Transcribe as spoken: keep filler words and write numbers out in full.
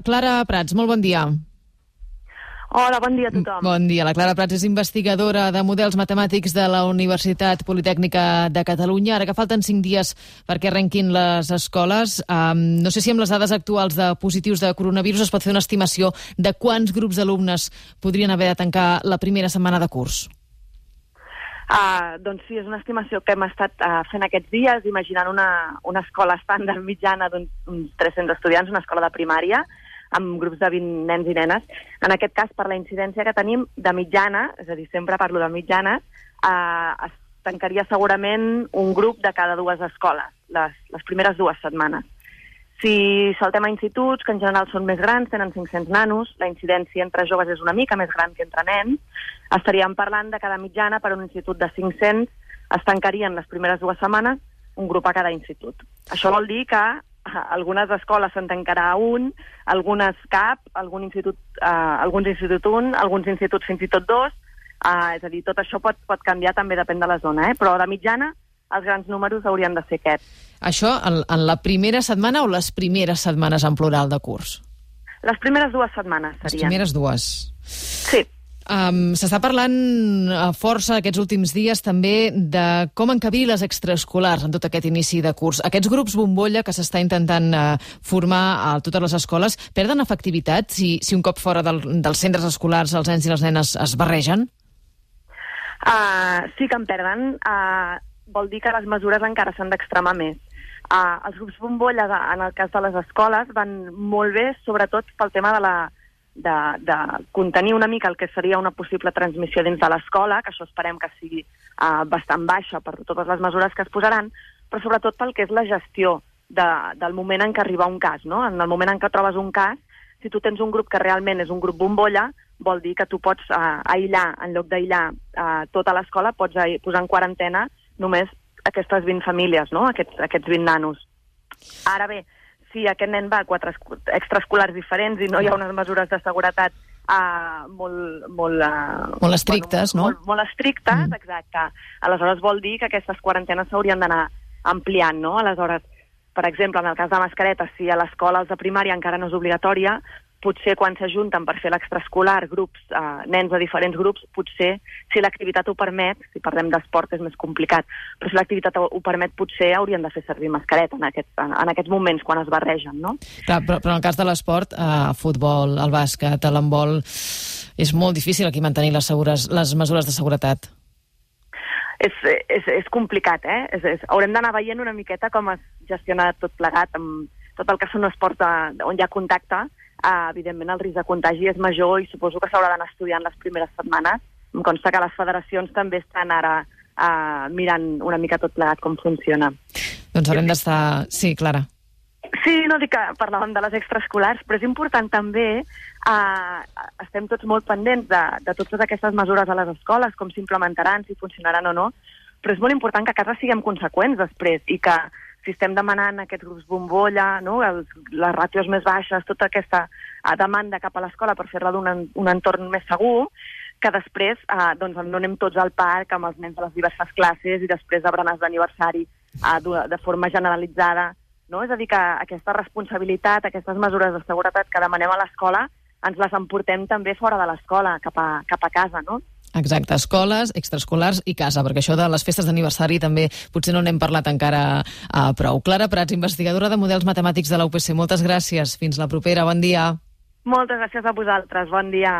Clara Prats, molt bon dia. Hola, bon dia a tothom. Bon dia. La Clara Prats és investigadora de models matemàtics de la Universitat Politècnica de Catalunya. Ara que falten cinc dies perquè arrenquin les escoles, um, no sé si amb les dades actuals de positius de coronavirus es pot fer una estimació de quants grups d'alumnes podrien haver de tancar la primera setmana de curs. Uh, doncs sí, és una estimació que hem estat uh, fent aquests dies, imaginant una, una escola estàndard mitjana d'uns tres-cents estudiants, una escola de primària, amb grups de vint nens i nenes. En aquest cas, per la incidència que tenim de mitjana, és a dir, sempre parlo de mitjana, eh, es tancaria segurament un grup de cada dues escoles, les, les primeres dues setmanes. Si saltem a instituts, que en general són més grans, tenen cinc-cents nanos, la incidència entre joves és una mica més gran que entre nens, estaríem parlant de cada mitjana per un institut de cinc-cents, es tancarien les primeres dues setmanes un grup a cada institut. Això vol dir que algunes escoles se'n tancarà un, algunes cap, algun institut, eh, alguns instituts un, alguns instituts fins i tot dos, eh, és a dir, tot això pot, pot canviar, també depèn de la zona, eh? Però de mitjana els grans números haurien de ser aquests. Això en, en la primera setmana o les primeres setmanes en plural de curs? Les primeres dues setmanes serien. Les primeres dues. Sí. Um, S'està parlant a força aquests últims dies també de com encabir les extraescolars en tot aquest inici de curs. Aquests grups bombolla que s'està intentant uh, formar a totes les escoles perden efectivitat si, si un cop fora del, dels centres escolars els nens i les nenes es barregen? Uh, sí que en perden. Uh, vol dir que les mesures encara s'han d'extremar més. Uh, els grups bombolla, de, en el cas de les escoles, van molt bé, sobretot pel tema de la De, de contenir una mica el que seria una possible transmissió dins de l'escola, que això esperem que sigui uh, bastant baixa per totes les mesures que es posaran, però sobretot pel que és la gestió de, del moment en què arriba un cas, no? En el moment en què trobes un cas, si tu tens un grup que realment és un grup bombolla, vol dir que tu pots uh, aïllar, en lloc d'aïllar uh, tota l'escola, pots uh, posar en quarantena només aquestes vint famílies, no? Aquests, aquests vint nanos. Ara bé, si aquest nen va a quatre extraescolars diferents i no hi ha unes mesures de seguretat uh, molt, molt, uh, molt estrictes, bueno, no? Molt, molt estrictes, mm. exacte. Aleshores vol dir que aquestes quarantenes s'haurien d'anar ampliant, no? Aleshores, per exemple, en el cas de mascaretes, si a l'escola els de primària encara no és obligatòria, potser quan s'ajunten per fer l'extraescolar grups, eh, nens de diferents grups, potser, si l'activitat ho permet, si parlem d'esport és més complicat, però si l'activitat ho permet, potser haurien de fer servir mascareta en aquests, en aquests moments quan es barregen, no? Clar, però, però en el cas de l'esport, eh, futbol, el bàsquet, l'handbol, és molt difícil aquí mantenir les, segures, les mesures de seguretat. És, és, és complicat, eh? És, és, haurem d'anar veient una miqueta com es gestiona tot plegat, amb tot el que són esports de, on hi ha contacte. Uh, evidentment el risc de contagi és major i suposo que s'haurà d'anar estudiant les primeres setmanes. Em consta que les federacions també estan ara uh, mirant una mica tot plegat com funciona. Doncs haurem d'estar... Sí, Clara. Sí, no dic que parlàvem de les extraescolars, però és important també, uh, estem tots molt pendents de, de totes aquestes mesures a les escoles, com s'implementaran, si funcionaran o no, però és molt important que a casa siguem conseqüents després i que si estem demanant aquests grups bombolla, no? Els, les ràtios més baixes, tota aquesta uh, demanda cap a l'escola per fer-la d'un en, un entorn més segur, que després uh, doncs, no anem tots al parc amb els nens de les diverses classes i després de berenars d'aniversari uh, de, de forma generalitzada. No? És a dir, que aquesta responsabilitat, aquestes mesures de seguretat que demanem a l'escola, ens les emportem també fora de l'escola, cap a, cap a casa, no? Exacte, escoles, extraescolars i casa, perquè això de les festes d'aniversari també potser no n'hem parlat encara uh, prou. Clara Prats, investigadora de models matemàtics de la U P C, moltes gràcies. Fins la propera, bon dia. Moltes gràcies a vosaltres, bon dia.